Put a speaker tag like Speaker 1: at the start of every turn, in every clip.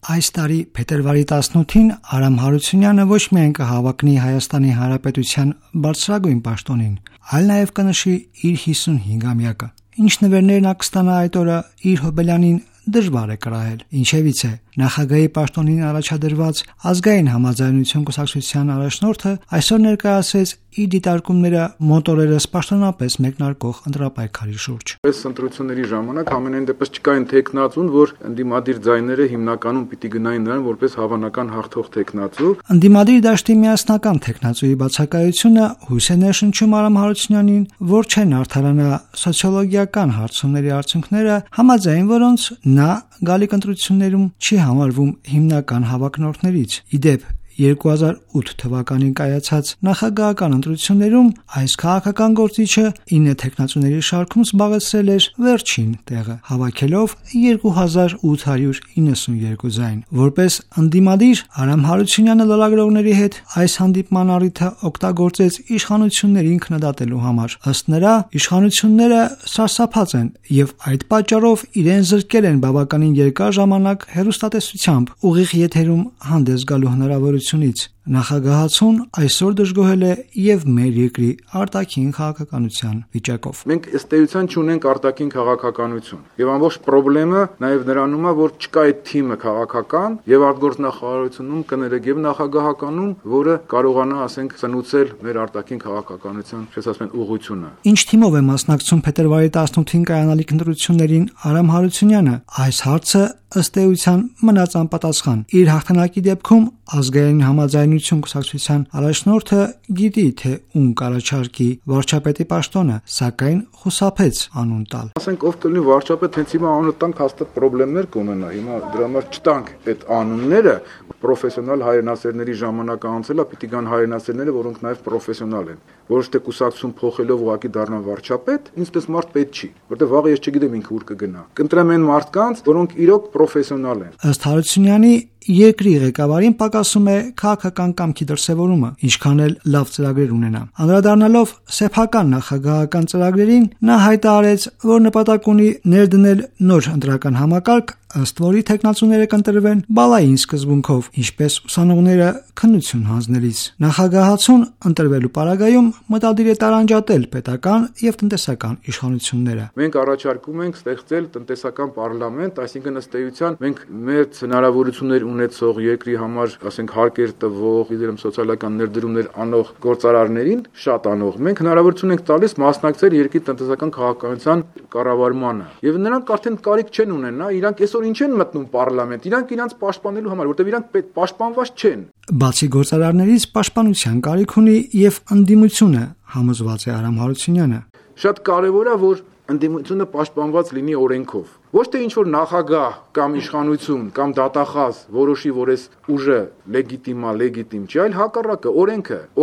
Speaker 1: Այս տարի փետրվարի 18-ին Արամ Հարությունյանը ոչ միայն կհավաքնի Հայաստանի Հանրապետության բարձրագույն պաշտոնին, այլ նաև կնշի իր 55-ամյակը։ Ինչ նվերներ նա կստանա այդ օրը իր հոբելյանին դժվար է կրահել։ Ինչևից է, նախագահի պաշտոնին առաջադրված ազգային համաձայնություն կուսակցության առաջնորդը այսօր ներկայացրեց իր դիտարկումները մոտորերս պաշտոնապես մեկնարկող ընտրապայքարի շուրջ։
Speaker 2: Այս ընտրությունների ժամանակ ամենայն դեպս չկային տեխնացուն, որ ընդդիմադիր ձայները հիմնականում պիտի գնային նրան որպես հավանական հաղթող տեխնացու։
Speaker 1: Ընդդիմադիր դաշտի միասնական տեխնացուի բացակայությունը հույս է ներշնչում Արամ Հարությունյանին, որ չեն արդարանա սոցիոլոգիական հարցումների արդյունքները, համաձայն որոնց նա գալիք ընտրություններում չի համարվում հիմնական հավակնորդներից։ Ի դեպ 2008 թվականին կայացած նախագահական ընտրություններում այս քաղաքական գործիչը 9 տեխնացուների շարքում զբաղեցրել էր վերջին տեղը, հավաքելով 2892 ձայն։ Որպես ընդդիմադիր Արամ Հարությունյանը լրագրողների հետ այս հանդիպման առիթը օգտագործեց իշխանություններին քննադատելու համար։ Ըստ նրա, իշխանությունները սարսափած են եւ այդ պատճառով իրեն զրկել են բավականին երկար ժամանակ հեռուստատեսությամբ ուղիղ եթերում հանդես գալու հնարավորությունից։ Նախագահացուն այսօր դժգոհել է եւ մեր երկրի արտաքին քաղաքականության վիճակով։
Speaker 2: Մենք ըստ էության չունենք արտաքին քաղաքականություն եւ ամբողջ խնդրումը նաեւ նրանում է, որ չկա այդ թիմը քաղաքական եւ արտգործնախարարությունում կներեք եւ նախագահականում, որը կարողանա, ասենք, ծնուցել մեր արտաքին քաղաքականության, չես ասում, ուղղությունը։
Speaker 1: Ինչ թիմով է մասնակցում փետրվարի 18-ին կայանալիք ընտրություններին Արամ Հարությունյանը, այս հարցը ըստ էության մնաց անպատասխան։ Իր հաղթանակի դեպքում ազգային համաձայնություն կուսակցության առաջնորդը գիտի, թե ում կառաջարկի վարչապետի պաշտոնը, սակայն խուսափեց անուն տալ։
Speaker 2: Ասենք ով կլինի վարչապետ, հենց հիմա անունը տանք, հաստատ խնդիրներ կունենա։ Հիմա դրա համար չտանք այդ անունները, պրոֆեսիոնալ հայրենասերների ժամանակը անցել է, պիտի գան հայրենասերները, որոնք նաև պրոֆեսիոնալ են։ Ոչ թե կուսակցություն փոխելով ուղղակի դառնան վարչապետ, ինձ մարդ պետք չի, որտեղ վաղը ես չգիտեմ ինքը ուր կգնա։ Կընտրեմ այն մարդկանց, որոնք իրոք պրոֆեսիոնալ են։
Speaker 1: Ըստ Հարությունյանի երկրի ղեկավարին պակասում է քաղաքական կամքի դրսևորումը, ինչքան էլ լավ ծրագրեր ունենա։ Անդրադառնալով սեփական նախագահական ծրագրերին, նա հայտարարեց, որ նպատակ ունի ներդնել նոր ընտրական համակարգ, ըստ որի տեխնացուները կընտրվեն բալային սկզբունքով, ինչպես ուսանողները քննություն հանձնելիս։ Նախագահացուն ընտրվելու պարագայում մտադիր է տարանջատել պետական եւ տնտեսական իշխանությունները։
Speaker 2: Մենք առաջարկում ենք ստեղծել տնտեսական պարլամենտ, այսինքն ըստ էության մենք մեր հնարավորություններ ունեցող երկրի համար, ասենք, հարկեր տվող, իդերեմ սոցիալական ներդրումներ անող գործարարներին, շատ անող, մենք հնարավորություն ենք տալիս մասնակցել երկրի տնտեսական քաղաքականության կառավարմանը։ Եվ նրանք արդեն կարիք չեն ունենա, իրանք այսօր ինչ են մտնում պարլամենտ, իրանք իրանք պաշտպանելու համար, որտեղ իրանք պաշտպանված չեն։
Speaker 1: Բացի գործարարներից պաշտպանության կարիք ունի եւ ընդդիմությունը, համոզված է Արամ Հարությունյանը։
Speaker 2: Շատ կարևոր է, որ ընդդիմությունը պաշտպանված լինի օրենքով։ Ոչ թե ինչ որ նախագահ կամ իշխանություն կամ դատախազ որոշի, որ այս ուժը լեգիտիմ չի, այլ հակառակը,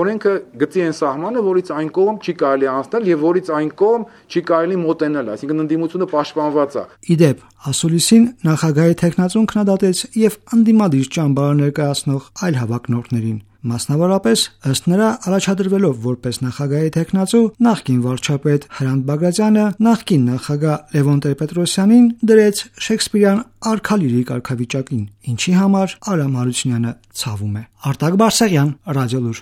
Speaker 2: օրենքը գծի այն սահմանը, որից այն կողմ չի կարելի անցնել եւ որից այն կողմ չի կարելի մոտենալ, այսինքն ընդդիմությունը պաշտպանված է։
Speaker 1: Ի դեպ, ասուլիսին նախագահի տեխնացուն քննադատեց եւ ընդդիմադիր ճամբար ներկայացնող այլ հավակնորդներին։ Մասնավորապես, ըստ նրա, առաջադրվելով որպես նախագահի տեխնացու, նախկին վարչապետ Հրանտ Բագրատյանը նախկին նախագահ Լևոն Տեր-Պետրոսյանին դրեց Շեքսպիրյան արքալիրի կարգավիճակին, ինչի համար Արամ Հարությունյանը ցավում է։ Արտակ Բարսեղյան, Ռադիոլուր։